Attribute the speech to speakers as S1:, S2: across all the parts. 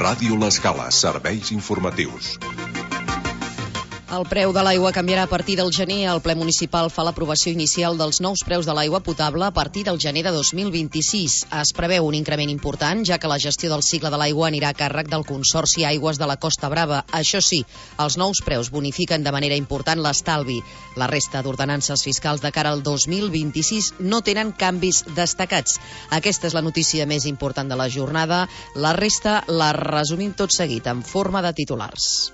S1: Ràdio L'Escala, serveis informatius.
S2: El preu de l'aigua canviarà a partir del gener. El ple municipal fa l'aprovació inicial dels nous preus de l'aigua potable a partir del gener de 2026. Es preveu un increment important, ja que la gestió del cicle de l'aigua anirà a càrrec del Consorci Aigües de la Costa Brava. Això sí, els nous preus bonifiquen de manera important l'estalvi. La resta d'ordenances fiscals de cara al 2026 no tenen canvis destacats. Aquesta és la notícia més important de la jornada. La resta la resumim tot seguit en forma de titulars.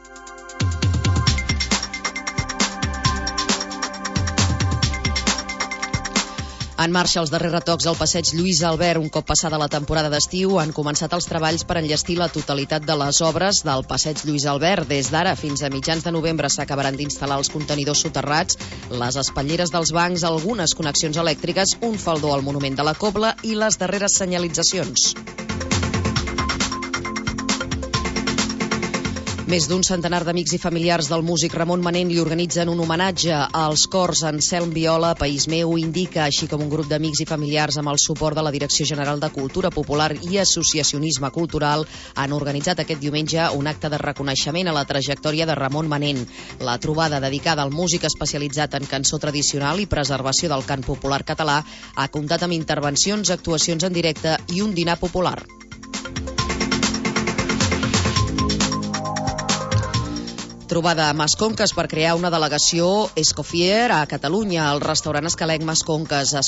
S2: En marxa els darrers retocs al passeig Lluís Albert. Un cop passada la temporada d'estiu, han començat els treballs per enllestir la totalitat de les obres del passeig Lluís Albert. Des d'ara fins a mitjans de novembre s'acabaran d'instal·lar els contenidors soterrats, les espatlleres dels bancs, algunes connexions elèctriques, un faldó al monument de la Cobla i les darreres senyalitzacions. Més d'un centenar d'amics i familiars del músic Ramon Manent li organitzen un homenatge als cors Anselm Viola, País Meu, Indica, així com un grup d'amics i familiars amb el suport de la Direcció General de Cultura Popular i Associacionisme Cultural han organitzat aquest diumenge un acte de reconeixement a la trajectòria de Ramon Manent. La trobada dedicada al músic especialitzat en cançó tradicional i preservació del cant popular català ha comptat amb intervencions, actuacions en directe i un dinar popular. Trobada a Masconques per crear una delegació Escoffier a Catalunya. El restaurant Escalenc Masconques ha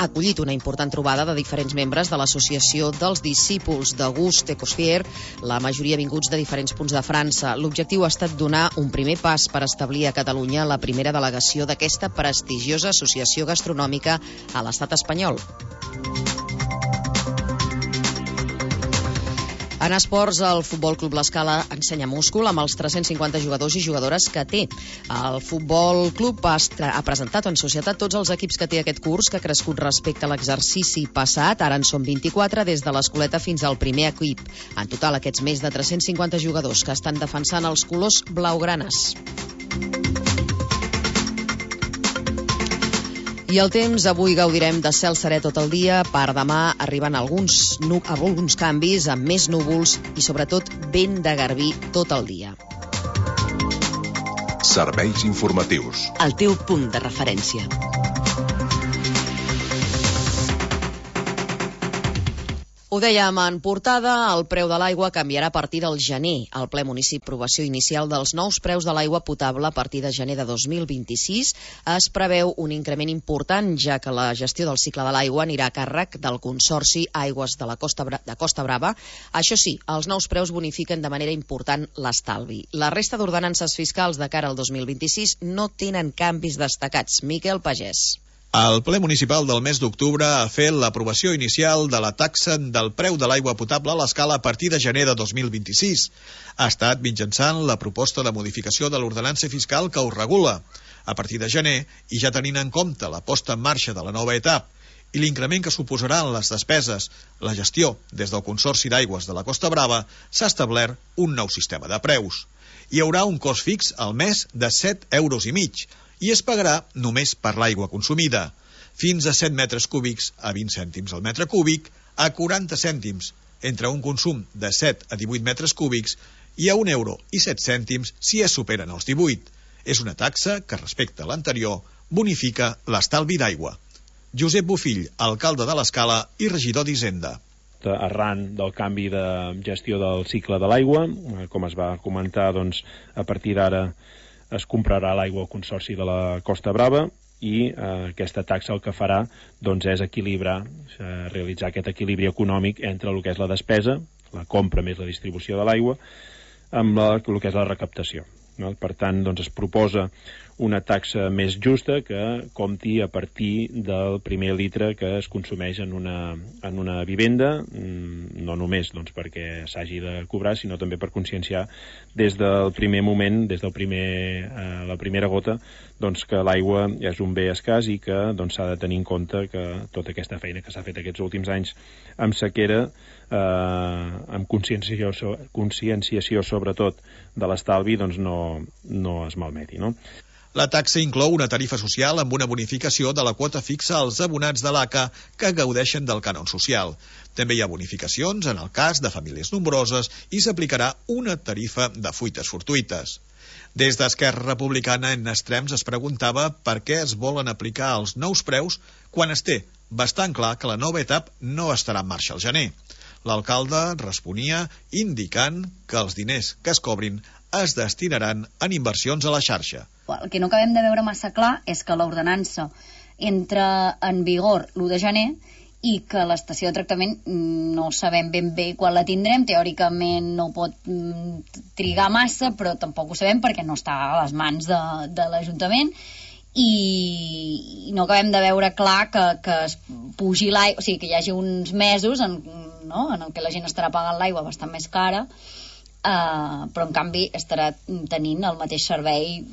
S2: acollit una important trobada de diferents membres de l'associació dels discípuls de Gust Escoffier, la majoria vinguts de diferents punts de França. L'objectiu ha estat donar un primer pas per establir a Catalunya la primera delegació d'aquesta prestigiosa associació gastronòmica a l'estat espanyol. En esports, el Futbol Club L'Escala ensenya múscul amb els 350 jugadors i jugadores que té. El Futbol Club ha presentat en societat tots els equips que té aquest curs, que ha crescut respecte a l'exercici passat. Ara en són 24, des de l'escoleta fins al primer equip. En total, aquests més de 350 jugadors que estan defensant els colors blaugranes. I el temps, avui gaudirem de cel serè tot el dia, per demà arriben alguns canvis amb més núvols i sobretot vent de garbí tot el dia.
S1: Serveis informatius.
S2: El teu punt de referència. Ho dèiem en portada, el preu de l'aigua canviarà a partir del gener. El ple municipal aprovació inicial dels nous preus de l'aigua potable a partir de gener de 2026 es preveu un increment important, ja que la gestió del cicle de l'aigua anirà a càrrec del Consorci Aigües de la Costa Brava. Això sí, els nous preus bonifiquen de manera important l'estalvi. La resta d'ordenances fiscals de cara al 2026 no tenen canvis destacats. Miquel Pagès.
S3: El ple municipal del mes d'octubre ha fet l'aprovació inicial de la taxa del preu de l'aigua potable a l'Escala a partir de gener de 2026. Ha estat mitjançant la proposta de modificació de l'ordenança fiscal que ho regula. A partir de gener, i ja tenint en compte la posta en marxa de la nova etapa i l'increment que suposaran les despeses, la gestió des del Consorci d'Aigües de la Costa Brava, s'ha establert un nou sistema de preus. Hi haurà un cost fix al mes de 7,5 € i es pagarà només per l'aigua consumida, fins a 7 metres cúbics a 20 cèntims al metre cúbic, a 40 cèntims entre un consum de 7 a 18 metres cúbics i a 1,07 € si es superen els 18. És una taxa que, respecte a l'anterior, bonifica l'estalvi d'aigua. Josep Bofill, alcalde de l'Escala i regidor d'Hisenda.
S4: Arran del canvi de gestió del cicle de l'aigua, com es va comentar, doncs, a partir d'ara es comprarà l'aigua al Consorci de la Costa Brava i aquesta taxa el que farà doncs, és equilibrar, realitzar aquest equilibri econòmic entre el que és la despesa, la compra més la distribució de l'aigua, amb el que és la recaptació. Per tant, doncs, es proposa una taxa més justa que compti a partir del primer litre que es consumeix en una vivenda, no només doncs, perquè s'hagi de cobrar, sinó també per conscienciar des del primer moment, des del la primera gota, doncs, que l'aigua és un bé escàs i que doncs, s'ha de tenir en compte que tota aquesta feina que s'ha fet aquests últims anys amb sequera, amb conscienciació sobretot de l'estalvi, doncs no es malmeti, no?
S3: La taxa inclou una tarifa social amb una bonificació de la quota fixa als abonats de l'ACA que gaudeixen del cànon social. També hi ha bonificacions en el cas de famílies nombroses i s'aplicarà una tarifa de fuites fortuïtes. Des d'Esquerra Republicana, en Extrems es preguntava per què es volen aplicar els nous preus quan es té bastant clar que la nova etapa no estarà en marxa al gener. L'alcalde responia indicant que els diners que es cobrin es destinaran en inversions a la xarxa.
S5: El que no acabem de veure massa clar és que l'ordenança entra en vigor l'1 de gener i que l'estació de tractament no sabem ben bé quan la tindrem. Teòricament no pot trigar massa, però tampoc ho sabem perquè no està a les mans de l'Ajuntament, i no acabem de veure clar que es pugi l'aigua, o sigui, que hi hagi uns mesos en el que la gent estarà pagant l'aigua bastant més cara, però en canvi estarà tenint el mateix servei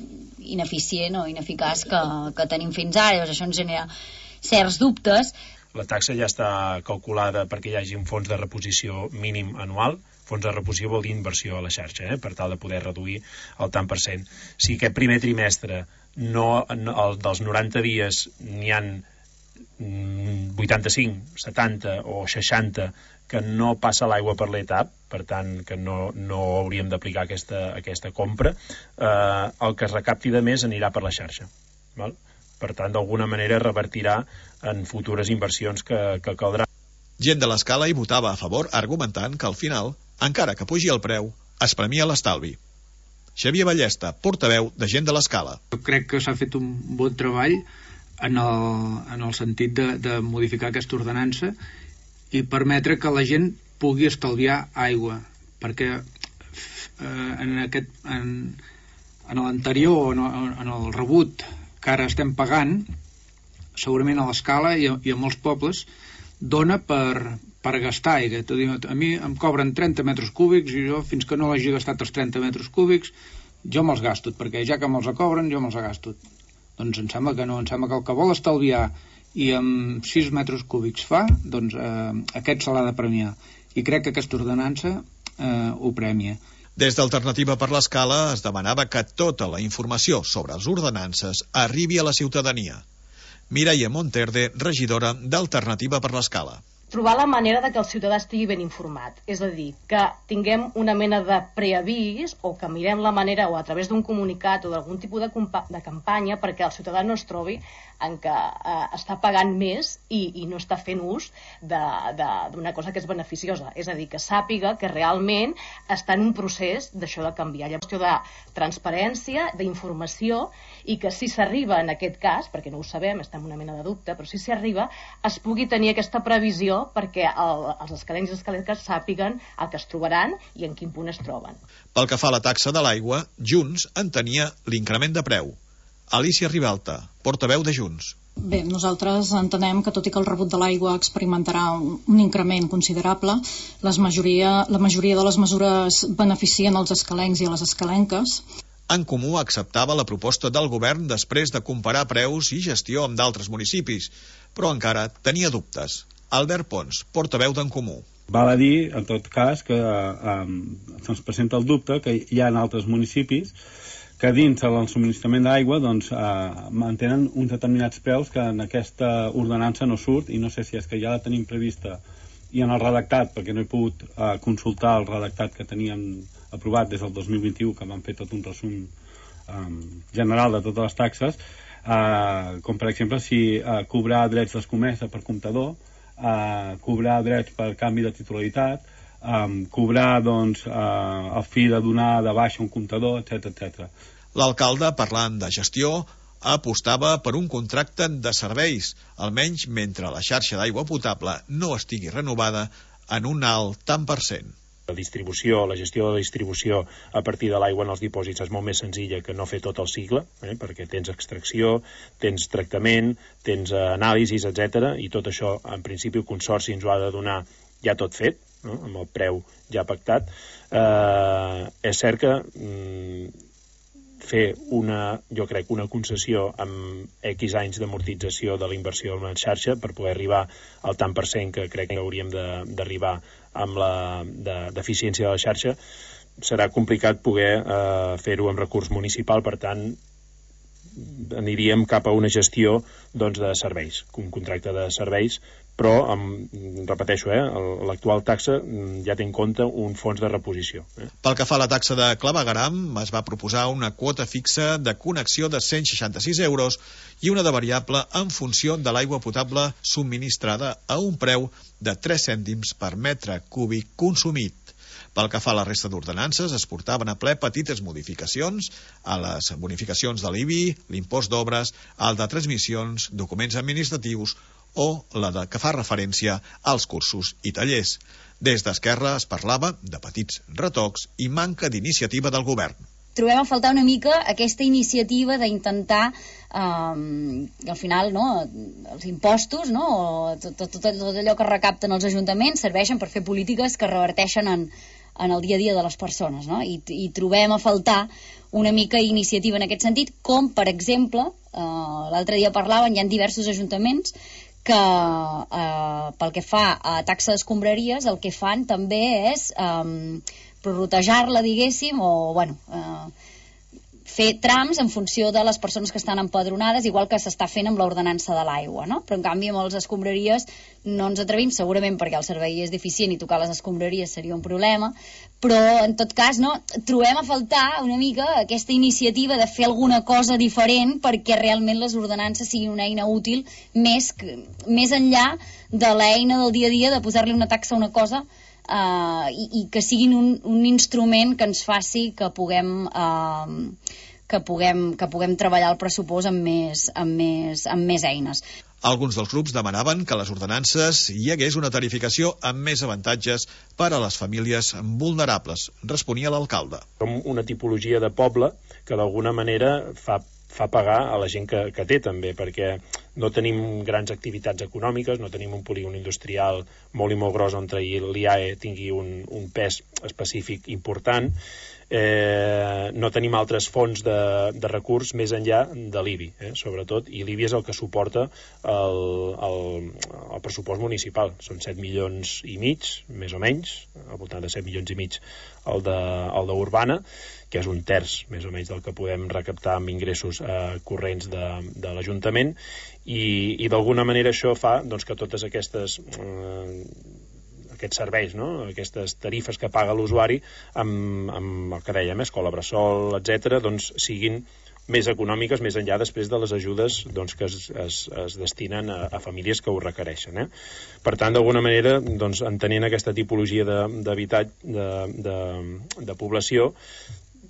S5: ineficient o ineficaç que tenim fins ara. Llavors això ens genera certs dubtes.
S4: La taxa ja està calculada perquè hi hagi un fons de reposició mínim anual. Fons de reposició vol dir inversió a la xarxa, per tal de poder reduir el tant per cent. Si aquest primer trimestre dels 90 dies n'hi han 85, 70 o 60 que no passa l'aigua per l'etap, per tant que no hauríem d'aplicar aquesta compra, el que es recapti de més anirà per la xarxa. Val? Per tant, d'alguna manera revertirà en futures inversions que caldrà.
S3: Gent de l'Escala hi votava a favor, argumentant que al final, encara que pugi el preu, es premia l'estalvi. Xavier Ballesta, portaveu de Gent de l'Escala.
S6: Jo crec que s'ha fet un bon treball en el sentit de modificar aquesta ordenança i permetre que la gent pugui estalviar aigua, perquè en l'anterior, en el rebut que ara estem pagant, segurament a l'Escala i a molts pobles, dona per gastar aigua. A mi em cobren 30 metres cúbics i jo, fins que no hagi gastat els 30 metres cúbics, jo me'ls gasto, perquè ja que me'ls cobren, jo me'ls gasto. Doncs em sembla que no, em sembla que el que vol estalviar i amb 6 metres cúbics fa, doncs aquest se l'ha de premiar. I crec que aquesta ordenança ho premia.
S3: Des d'Alternativa per l'Escala es demanava que tota la informació sobre les ordenances arribi a la ciutadania. Mireia Monterde, regidora d'Alternativa per l'Escala.
S7: Trobar la manera de que el ciutadà estigui ben informat, és a dir, que tinguem una mena de preavís o que mirem la manera o a través d'un comunicat o d'algun tipus de campanya perquè el ciutadà no es trobi en què està pagant més i no està fent ús d'una cosa que és beneficiosa, és a dir, que sàpiga que realment està en un procés d'això de canviar. Llavors, qüestió de transparència, d'informació, i que si s'arriba en aquest cas, perquè no ho sabem, estem en una mena de dubte, però si s'arriba, es pugui tenir aquesta previsió perquè els escalencs i escalenques sàpiguen el que es trobaran i en quin punt es troben.
S3: Pel que fa a la taxa de l'aigua, Junts entenia l'increment de preu. Alicia Ribalta, portaveu de Junts.
S8: Bé, nosaltres entenem que tot i que el rebut de l'aigua experimentarà un increment considerable, la majoria de les mesures beneficien els escalencs i a les escalenques.
S3: En Comú acceptava la proposta del govern després de comparar preus i gestió amb d'altres municipis, però encara tenia dubtes. Albert Pons, portaveu d'en Comú.
S9: Val a dir, en tot cas, que se'ns presenta el dubte que hi ha altres municipis que dins del subministrament d'aigua mantenen uns determinats preus que en aquesta ordenança no surt, i no sé si és que ja la tenim prevista i en el redactat, perquè no he pogut consultar el redactat que teníem aprovat des del 2021, que van fer tot un resum general de totes les taxes, com per exemple si cobrar drets d'escomesa per comptador, cobrar drets per canvi de titularitat, cobrar el fi de donar de baixa un comptador, etc.
S3: L'alcalde, parlant de gestió, apostava per un contracte de serveis, almenys mentre la xarxa d'aigua potable no estigui renovada en un alt tant per cent.
S4: La gestió de la distribució a partir de l'aigua en els dipòsits és molt més senzilla que no fer tot el cicle, perquè tens extracció, tens tractament, tens anàlisis, etc. I tot això, en principi, el Consorci ens ho ha de donar ja tot fet, amb el preu ja pactat. És cert que fer jo crec, una concessió amb X anys d'amortització de la inversió en la xarxa per poder arribar al tant per cent que crec que hauríem d'arribar amb la d'eficiència de la xarxa, serà complicat poder fer-ho amb recurs municipal. Per tant, aniríem cap a una gestió doncs, de serveis, un contracte de serveis, però, repeteixo, l'actual taxa ja té en compte un fons de reposició.
S3: Pel que fa a la taxa de clavegueram, es va proposar una quota fixa de connexió de 166 euros i una de variable en funció de l'aigua potable subministrada a un preu de 3 cèntims per metre cúbic consumit. Pel que fa a la resta d'ordenances, es portaven a ple petites modificacions a les bonificacions de l'IBI, l'impost d'obres, el de transmissions, documents administratius o la que fa referència als cursos i tallers. Des d'Esquerra es parlava de petits retocs i manca d'iniciativa del govern.
S5: Trobem a faltar una mica aquesta iniciativa d'intentar al final, no, els impostos, no, tot allò que recapten els ajuntaments serveixen per fer polítiques que reverteixen en el dia a dia de les persones, no? I trobem a faltar una mica iniciativa en aquest sentit, com per exemple l'altre dia parlaven, hi ha diversos ajuntaments que pel que fa a taxa d'escombraries el que fan també és prorrotejar-la, diguéssim, o fer trams en funció de les persones que estan empadronades, igual que s'està fent amb l'ordenança de l'aigua, no? Però en canvi amb les escombraries no ens atrevim, segurament perquè el servei és deficient i tocar les escombraries seria un problema, però en tot cas, no, trobem a faltar una mica aquesta iniciativa de fer alguna cosa diferent perquè realment les ordenances siguin una eina útil més enllà de l'eina del dia a dia de posar-li una taxa a una cosa i que siguin un instrument que ens faci que puguem treballar el pressupost amb més eines.
S3: Alguns dels grups demanaven que a les ordenances hi hagués una tarificació amb més avantatges per a les famílies vulnerables, responia l'alcalde.
S4: Som una tipologia de poble que d'alguna manera fa pagar a la gent que té també, perquè no tenim grans activitats econòmiques, no tenim un polígon industrial molt i molt gros on l'IAE tingui un pes específic important, no tenim altres fonts de recurs més enllà de l'IBI, sobretot, i l'IBI és el que suporta el pressupost municipal. Són 7 milions i mig, més o menys, al voltant de 7 milions i mig el d'Urbana, que és un terç, més o menys, del que podem recaptar amb ingressos corrents de l'Ajuntament, i d'alguna manera això fa doncs, que totes aquests serveis, no? Aquestes tarifes que paga l'usuari amb el que dèiem, escola bressol, etc., doncs siguin més econòmiques més enllà després de les ajudes doncs, que es destinen a famílies que ho requereixen. Per tant, d'alguna manera, doncs, entenent aquesta tipologia de població,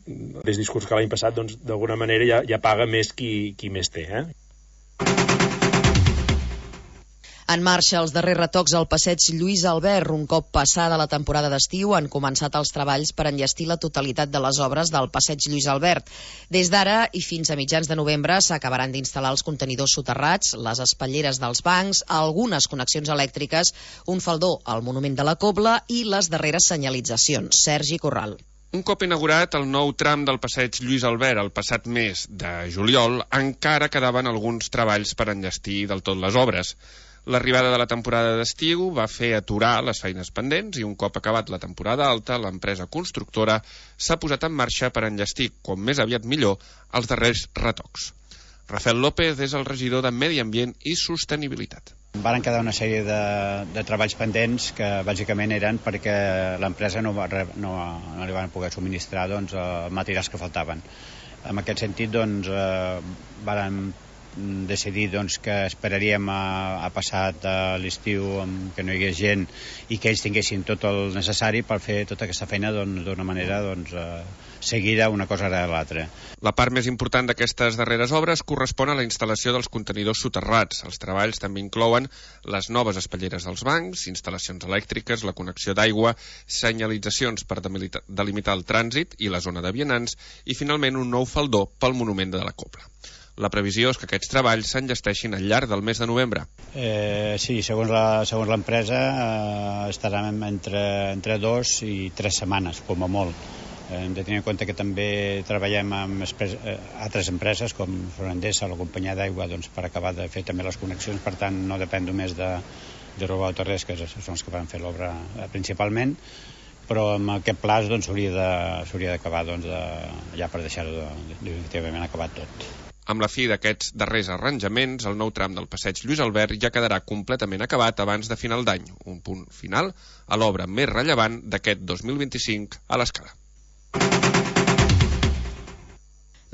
S4: des discurs que l'any passat, doncs, d'alguna manera ja paga més qui més té.
S2: En marxa els darrers retocs al passeig Lluís Albert. Un cop passada la temporada d'estiu han començat els treballs per enllestir la totalitat de les obres del passeig Lluís Albert. Des d'ara i fins a mitjans de novembre s'acabaran d'instal·lar els contenidors soterrats, les espatlleres dels bancs, algunes connexions elèctriques, un faldó al monument de la Cobla i les darreres senyalitzacions. Sergi Corral.
S10: Un cop inaugurat el nou tram del passeig Lluís Albert el passat mes de juliol, encara quedaven alguns treballs per enllestir del tot les obres. L'arribada de la temporada d'estiu va fer aturar les feines pendents i un cop acabat la temporada alta, l'empresa constructora s'ha posat en marxa per enllestir, com més aviat millor, els darrers retocs. Rafael López és el regidor de Medi Ambient i Sostenibilitat.
S11: Varen quedar una sèrie de treballs pendents que bàsicament eren perquè l'empresa no li van poder subministrar materials que faltaven. En aquest sentit, varen decidir que esperaríem a passat l'estiu que no hi hagués gent i que ells tinguessin tot el necessari per fer tota aquesta feina d'una manera seguida una cosa darrere l'altra.
S10: La part més important d'aquestes darreres obres correspon a la instal·lació dels contenidors soterrats. Els treballs també inclouen les noves espatlleres dels bancs, instal·lacions elèctriques, la connexió d'aigua, senyalitzacions per delimitar el trànsit i la zona de vianants i finalment un nou faldó pel monument de la Cobla. La previsió és que aquests treballs s'enllesteixin al llarg del mes de novembre.
S11: Sí, segons l'empresa estaran entre 2 i 3 setmanes, com a molt. Hem de tenir en compte que també treballem amb altres empreses com Endesa, la companyia d'aigua, per acabar de fer també les connexions, per tant no depèn només de Robau Terrés, que són els que van fer l'obra principalment, però amb aquest plaç s'hauria d'acabar ja per deixar-ho definitivament acabat tot.
S10: Amb la fi d'aquests darrers arranjaments, el nou tram del passeig Lluís Albert ja quedarà completament acabat abans de final d'any, un punt final a l'obra més rellevant d'aquest 2025 a l'Escala.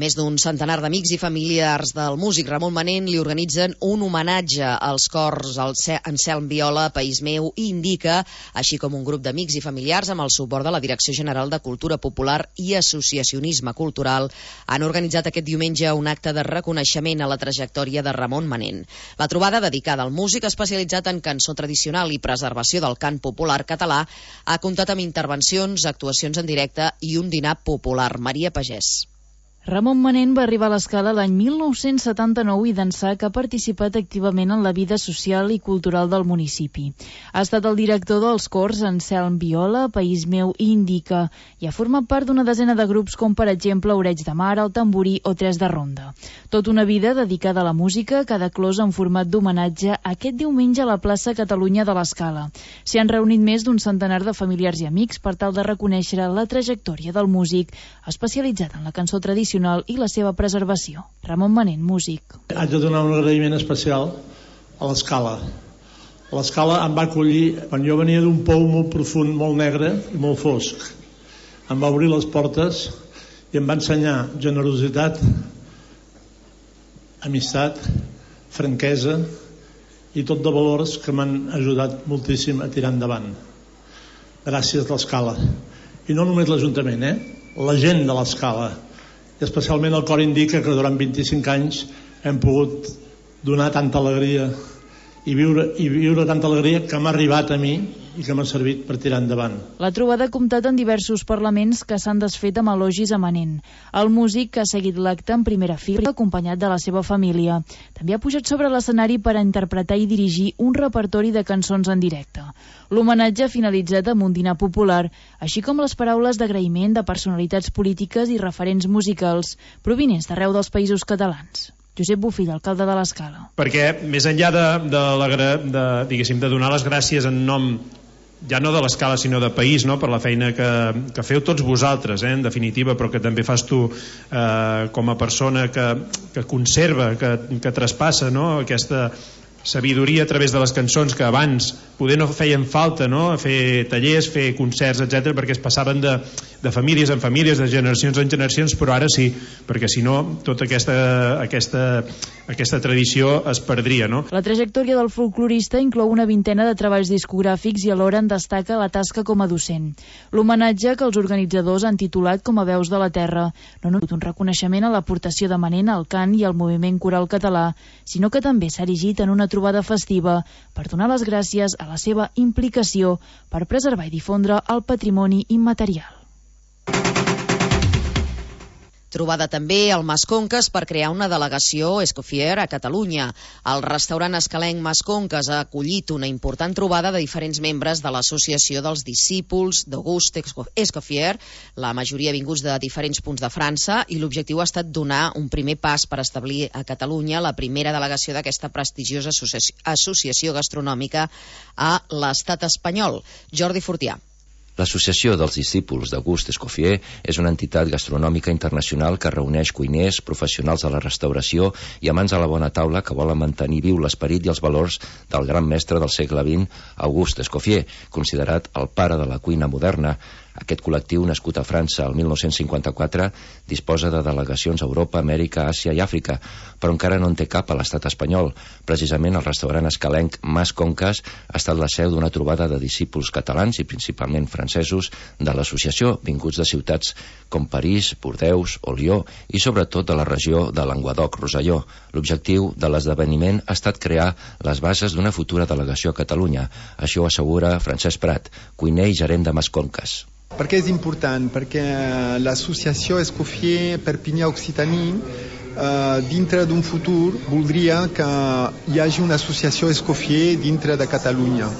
S2: Més d'un centenar d'amics i familiars del músic Ramon Manent li organitzen un homenatge als cors Anselm Viola, País Meu i Indica, així com un grup d'amics i familiars amb el suport de la Direcció General de Cultura Popular i Associacionisme Cultural han organitzat aquest diumenge un acte de reconeixement a la trajectòria de Ramon Manent. La trobada, dedicada al músic especialitzat en cançó tradicional i preservació del cant popular català, ha comptat amb intervencions, actuacions en directe i un dinar popular. Maria Pagès.
S12: Ramon Manent va arribar a l'Escala l'any 1979 i d'ençà que ha participat activament en la vida social i cultural del municipi. Ha estat el director dels cors Anselm Viola, País Meu i Indica i ha format part d'una desena de grups com per exemple Oreig de Mar, El Tamborí o Tres de Ronda. Tot una vida dedicada a la música, cada clos en format d'homenatge aquest diumenge a la plaça Catalunya de l'Escala. S'hi han reunit més d'un centenar de familiars i amics per tal de reconèixer la trajectòria del músic especialitzat en la cançó tradicional i la seva preservació. Ramon Manent, músic.
S13: Haig de donar un agraïment especial a l'Escala. L'Escala em va acollir quan jo venia d'un pou molt profund, molt negre i molt fosc. Em va obrir les portes i em va ensenyar generositat, amistat, franquesa i tot de valors que m'han ajudat moltíssim a tirar endavant. Gràcies l'Escala. I no només l'Ajuntament, la gent de l'Escala, i especialment el cor Indica, que durant 25 anys hem pogut donar tanta alegria i viure tanta alegria que m'ha arribat a mi i que m'ha servit per tirar endavant.
S12: La trobada ha comptat en diversos parlaments que s'han desfet amb elogis a Manent. El músic que ha seguit l'acte en primera fila, acompanyat de la seva família. També ha pujat sobre l'escenari per a interpretar i dirigir un repertori de cançons en directe. L'homenatge ha finalitzat amb un dinar popular, així com les paraules d'agraïment de personalitats polítiques i referents musicals provinents d'arreu dels països catalans. Josep Bofill, alcalde de l'Escala.
S14: Perquè més enllà de donar les gràcies en nom ja no de l'Escala sinó de país, no? Per la feina que feu tots vosaltres, en definitiva, però que també fas tu com a persona que conserva, que traspassa, no? Aquesta sabidoria a través de les cançons que abans poder no feien falta, no? Fer tallers, fer concerts, etc, perquè es passaven de famílies en famílies, de generacions en generacions, però ara sí, perquè si no tota aquesta tradició es perdria, no?
S12: La trajectòria del folclorista inclou una vintena de treballs discogràfics i alhora en destaca la tasca com a docent. L'homenatge que els organitzadors han titulat com a Veus de la Terra no només un reconeixement a l'aportació de Manent al cant i al moviment coral català, sinó que també s'ha erigit en una trobada festiva per donar les gràcies a la seva implicació per preservar i difondre el patrimoni immaterial.
S2: Trobada també al Mas Conques per crear una delegació Escoffier a Catalunya. El restaurant escalenc Mas Conques ha acollit una important trobada de diferents membres de l'associació dels discípuls d'Auguste Escoffier, la majoria vinguts de diferents punts de França, i l'objectiu ha estat donar un primer pas per establir a Catalunya la primera delegació d'aquesta prestigiosa associació gastronòmica a l'estat espanyol. Jordi Fortià.
S15: L'Associació dels Discípuls d'Auguste Escoffier és una entitat gastronòmica internacional que reuneix cuiners, professionals de la restauració i amants de la bona taula que volen mantenir viu l'esperit i els valors del gran mestre del segle XX, Auguste Escoffier, considerat el pare de la cuina moderna. Aquest col·lectiu, nascut a França el 1954, disposa de delegacions a Europa, Amèrica, Àsia i Àfrica, però encara no en té cap a l'estat espanyol. Precisament el restaurant escalenc Mas Conques ha estat la seu d'una trobada de discípuls catalans i principalment francesos de l'associació, vinguts de ciutats com París, Bordeus o Lió i sobretot de la regió de Languedoc-Roselló. L'objectiu de l'esdeveniment ha estat crear les bases d'una futura delegació a Catalunya. Això ho assegura Francesc Prat, cuiner i gerent de Mas Conques.
S16: Per què és important? Perquè l'associació Escoffier Perpinyà-Occitanie dintre d'un futur voldria que hi hagi una associació Escoffier dintre de Catalunya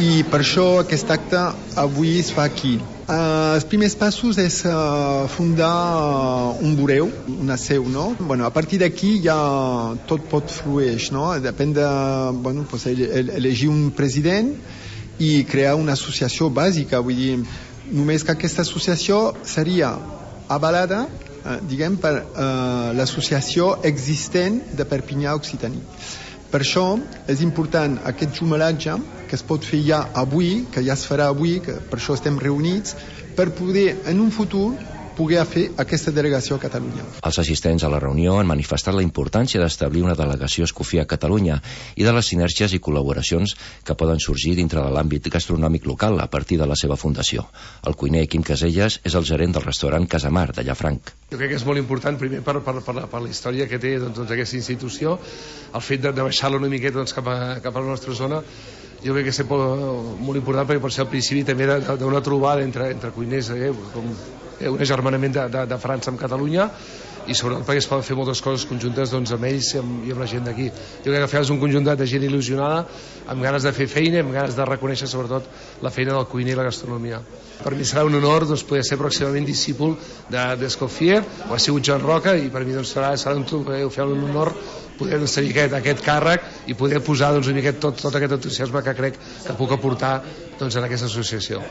S16: i per això aquest acte avui es fa aquí. Els primers passos és fundar un bureu, una seu, no? Bueno, a partir d'aquí ja tot pot fluir, no? Depèn de elegir un president i crear una associació bàsica, vull dir, només que aquesta associació seria avalada diguem, per l'associació existent de Perpinyà Occitaní. Per això és important aquest jumelatge que es pot fer ja avui, que ja es farà avui, que per això estem reunits, per poder en un futur poder fer aquesta delegació a Catalunya.
S15: Els assistents a la reunió han manifestat la importància d'establir una delegació Escoffier a Catalunya i de les sinergies i col·laboracions que poden sorgir dintre de l'àmbit gastronòmic local a partir de la seva fundació. El cuiner Quim Caselles és el gerent del restaurant Casamar de Llafranc.
S17: Jo crec que és molt important, primer per la història que té aquesta institució, el fet de baixar-la una miqueta cap a la nostra zona. Jo crec que és molt important perquè pot ser el principi també d'una trobada entre cuiners, com un agermanament de França amb Catalunya, i sobretot perquè es poden fer moltes coses conjuntes amb ells i amb la gent d'aquí. Jo crec que al final és un conjunt de gent il·lusionada, amb ganes de fer feina, amb ganes de reconèixer sobretot la feina del cuiner i la gastronomia. Per mi serà un honor poder ser pròximament discípul d'Escoffier, ho ha sigut Joan Roca, i per mi serà un honor poder tenir aquest càrrec i poder posar una miqueta tot aquest entusiasme que crec que puc aportar en aquesta associació.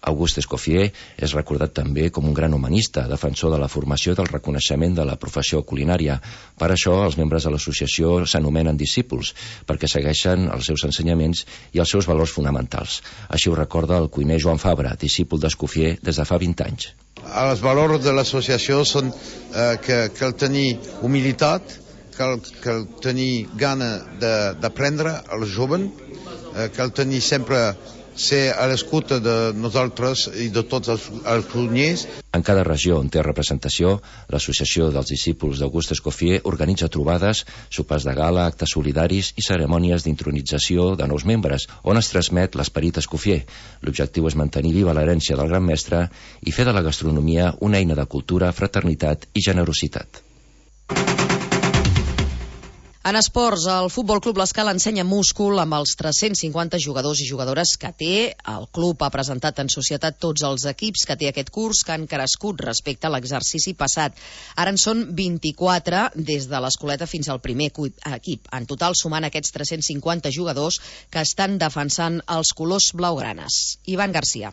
S15: August Escoffier és recordat també com un gran humanista, defensor de la formació i del reconeixement de la professió culinària. Per això, els membres de l'associació s'anomenen discípuls, perquè segueixen els seus ensenyaments i els seus valors fonamentals. Així ho recorda el cuiner Joan Fabra, discípul d'Escoffier des de fa 20 anys.
S18: Els valors de l'associació són que cal tenir humilitat, cal tenir gana d'aprendre als joves, cal tenir sempre ser a l'escolta de nosaltres i de tots els cuiners.
S15: En cada regió on té representació, l'Associació dels Discípuls d'August Escoffier organitza trobades, sopars de gala, actes solidaris i cerimònies d'intronització de nous membres, on es transmet l'esperit Escoffier. L'objectiu és mantenir viva l'herència del gran mestre i fer de la gastronomia una eina de cultura, fraternitat i generositat.
S2: En esports, el Futbol Club L'Escala ensenya múscul amb els 350 jugadors i jugadores que té. El club ha presentat en societat tots els equips que té aquest curs, que han crescut respecte a l'exercici passat. Ara en són 24, des de l'escoleta fins al primer equip. En total, sumant aquests 350 jugadors que estan defensant els colors blaugranes. Ivan Garcia.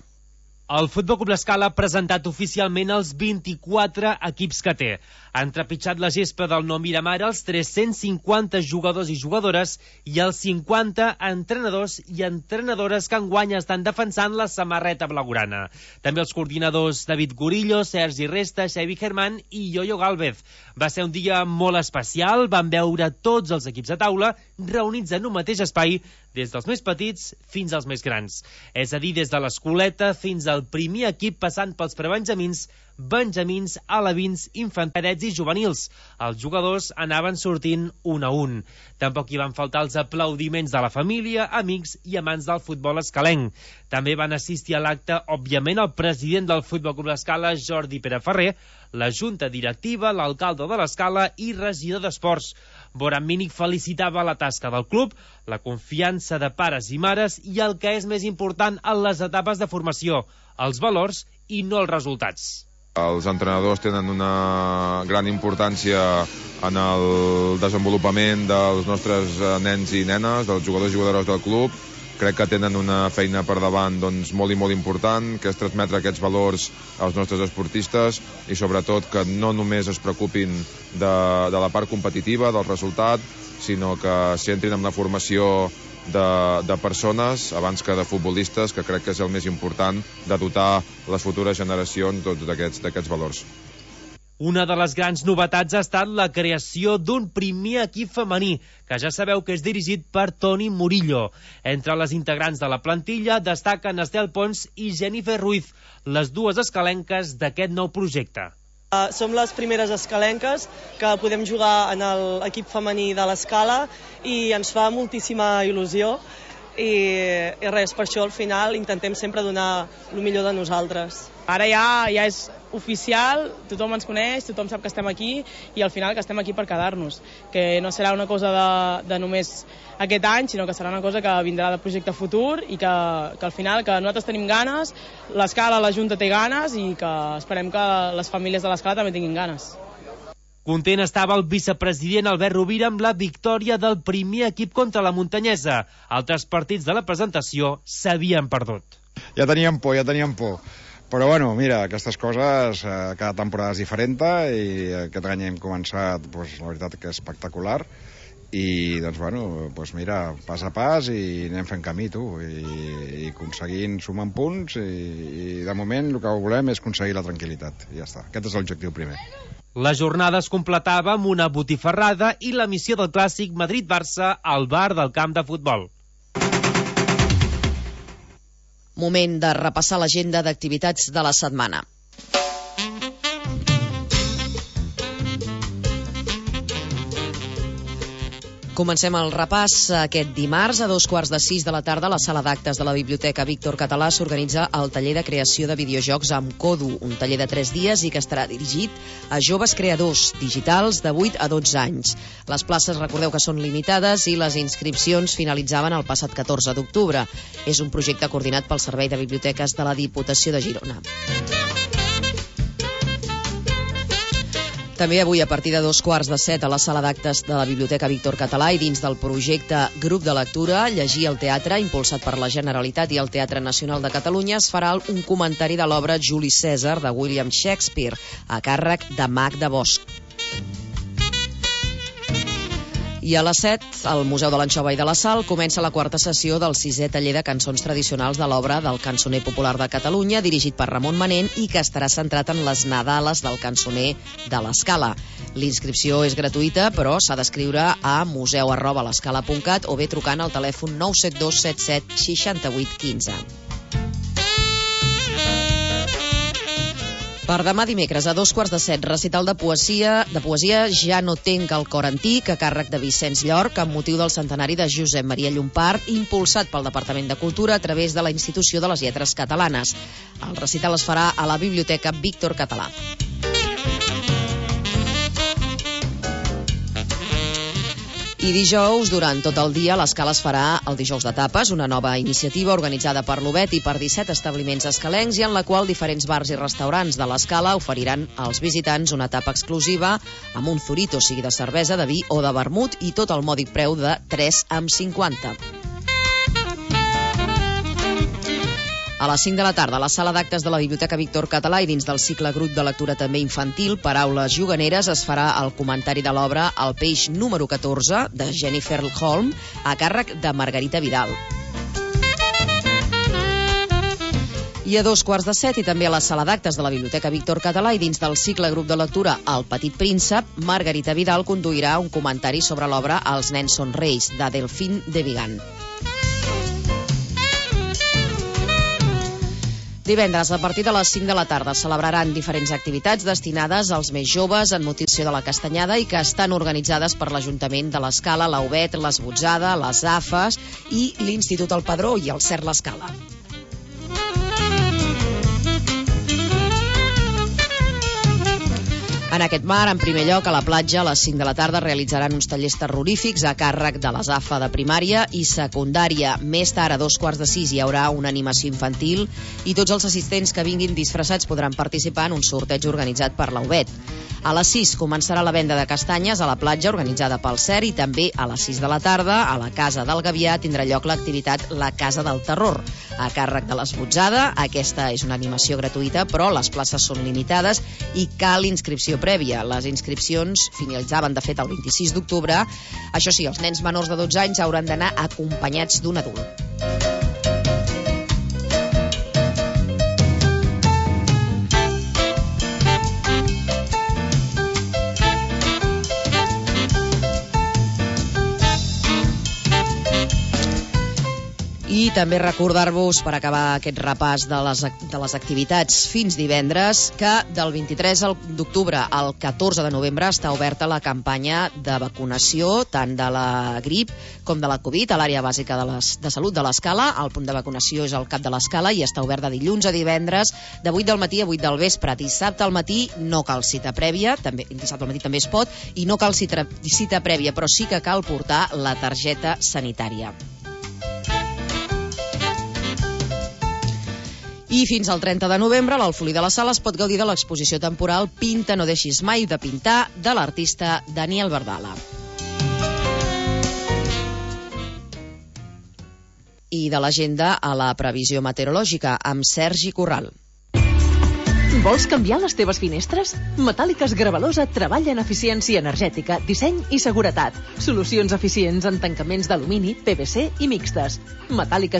S19: El Futbol Club L'Escala ha presentat oficialment els 24 equips que té. Han trepitjat la gespa del nou Miramar els 350 jugadors i jugadores i els 50 entrenadors i entrenadores que enguany estan defensant la samarreta blaugrana. També els coordinadors David Gorillo, Sergi Resta, Xavi Germán i Yoyo Gálvez. Va ser un dia molt especial, van veure tots els equips a taula reunits en un mateix espai, des dels més petits fins als més grans. És a dir, des de l'escoleta fins al primer equip, passant pels prebenjamins, benjamins, alevins, infantets i juvenils. Els jugadors anaven sortint un a un. Tampoc hi van faltar els aplaudiments de la família, amics i amants del futbol escalenc. També van assistir a l'acte, òbviament, el president del Futbol Club L'Escala, Jordi Pere Ferrer, la junta directiva, l'alcalde de l'Escala i regidor d'Esports. Boran Mínic felicitava la tasca del club, la confiança de pares i mares i el que és més important en les etapes de formació, els valors i no els resultats.
S20: Els entrenadors tenen una gran importància en el desenvolupament dels nostres nens i nenes, dels jugadors i jugadores del club. Crec que tenen una feina per davant molt i molt important, que és transmetre aquests valors als nostres esportistes i sobretot que no només es preocupin de la part competitiva, del resultat, sinó que s'entrin en la formació de persones abans que de futbolistes, que crec que és el més important, de dotar les futures generacions d'aquests valors.
S19: Una de les grans novetats ha estat la creació d'un primer equip femení, que ja sabeu que és dirigit per Toni Murillo. Entre les integrants de la plantilla destaquen Estel Pons i Jennifer Ruiz, les dues escalenques d'aquest nou projecte.
S21: Som les primeres escalenques que podem jugar en l'equip femení de l'Escala i ens fa moltíssima il·lusió i res, per això al final intentem sempre donar el millor de nosaltres.
S22: Ara ja és oficial, tothom ens coneix, tothom sap que estem aquí i al final que estem aquí per quedar-nos, que no serà una cosa de només aquest any, sinó que serà una cosa que vindrà de projecte futur i que al final que nosaltres tenim ganes, l'Escala, la Junta té ganes i que esperem que les famílies de l'Escala també tinguin ganes.
S19: Content estava el vicepresident Albert Rovira amb la victòria del primer equip contra la Muntanyesa. Altres partits de la presentació s'havien perdut.
S23: Ja teníem por,
S1: Però bueno, mira, aquestes coses, cada temporada és diferent i aquest any hem començat, doncs, la veritat que és espectacular i doncs bueno, doncs mira, pas a pas i anem fent camí, tu, i aconseguint sumar punts i de moment el que volem és aconseguir la tranquil·litat i ja està, aquest és l'objectiu primer.
S19: La jornada es completava amb una botifarrada i l'emissió del clàssic Madrid-Barça al bar del camp de futbol.
S2: Moment de repassar l'agenda d'activitats de la setmana. Comencem el repàs aquest dimarts a 5:15 de la tarda a la sala d'actes de la Biblioteca Víctor Català s'organitza el taller de creació de videojocs amb Kodu, un taller de 3 dies i que estarà dirigit a joves creadors digitals de 8 a 12 anys. Les places, recordeu que són limitades i les inscripcions finalitzaven el passat 14 d'octubre. És un projecte coordinat pel Servei de Biblioteques de la Diputació de Girona. També avui a partir de 6:15 a la sala d'actes de la Biblioteca Víctor Català i dins del projecte Grup de Lectura Llegir al Teatre, impulsat per la Generalitat i el Teatre Nacional de Catalunya, es farà un comentari de l'obra Juli Cèsar de William Shakespeare, a càrrec de Magda Bosch. I a les 7, al Museu de l'Anxova i de la Sal, comença la 4a sessió del 6è taller de cançons tradicionals de l'obra del cançoner popular de Catalunya, dirigit per Ramon Manent i que estarà centrat en les nadales del cançoner de l'Escala. L'inscripció és gratuïta, però s'ha d'escriure a museu@l'escala.cat o bé trucant al telèfon 972 77 68 15. Per demà dimecres a 6:15, recital de poesia Ja no tenc el cor antic, a càrrec de Vicenç Llorch, amb motiu del centenari de Josep Maria Llompart, impulsat pel Departament de Cultura a través de la Institució de les Lletres Catalanes. El recital es farà a la Biblioteca Víctor Català. I dijous, durant tot el dia, l'Escala es farà el Dijous de Tapes, una nova iniciativa organitzada per l'Obet i per 17 establiments escalencs i en la qual diferents bars i restaurants de l'Escala oferiran als visitants una tapa exclusiva amb un zurito, sigui de cervesa, de vi o de vermut, i tot al mòdic preu de 3,50. A les 5 de la tarda, a la sala d'actes de la Biblioteca Víctor Català i dins del cicle Grup de Lectura també infantil, Paraules juganeres, es farà el comentari de l'obra El peix número 14, de Jennifer Holm, a càrrec de Margarita Vidal. I a 6:15 i també a la sala d'actes de la Biblioteca Víctor Català i dins del cicle Grup de Lectura El petit príncep, Margarita Vidal conduirà un comentari sobre l'obra Els nens són reis, de Delfín de Vigan. Divendres, a partir de les 5 de la tarda, celebraran diferents activitats destinades als més joves en motivació de la Castanyada i que estan organitzades per l'Ajuntament de l'Escala, la UBET, l'Esbotzada, les AFES i l'Institut El Padró i el CERT l'Escala. En aquest mar, en primer lloc, a la platja, a les 5 de la tarda, realitzaran uns tallers terrorífics a càrrec de les AFA de primària i secundària. Més tard, a 5:45, hi haurà una animació infantil i tots els assistents que vinguin disfressats podran participar en un sorteig organitzat per la UBET. A les 6 començarà la venda de castanyes a la platja organitzada pel CERT i també a les 6 de la tarda, a la Casa del Gavià, tindrà lloc l'activitat La Casa del Terror, a càrrec de l'Esbotzada. Aquesta és una animació gratuïta, però les places són limitades i cal inscripció prèvia. Les inscripcions finalitzaven, de fet, el 26 d'octubre. Això sí, els nens menors de 12 anys hauran d'anar acompanyats d'un adult. I també recordar-vos, per acabar aquest repàs de les activitats fins divendres, que del 23 d'octubre al 14 de novembre està oberta la campanya de vacunació tant de la grip com de la Covid a l'àrea bàsica de salut de l'Escala. El punt de vacunació és al cap de l'Escala i està obert de dilluns a divendres de 8 del matí a 8 del vespre. Dissabte al matí no cal cita prèvia, dissabte al matí també es pot, i no cal cita prèvia, però sí que cal portar la targeta sanitària. I fins al 30 de novembre, a l'Alfolí de la Sala es pot gaudir de l'exposició temporal Pinta no deixis mai de pintar, de l'artista Daniel Bardala. I de l'agenda a la previsió meteorològica, amb Sergi Corral.
S6: Vols canviar les teves finestres? Metàl·liques Gravalosa treballa en eficiència energètica, disseny i seguretat. Solucions eficients en tancaments d'alumini, PVC i mixtes. Metàl·liques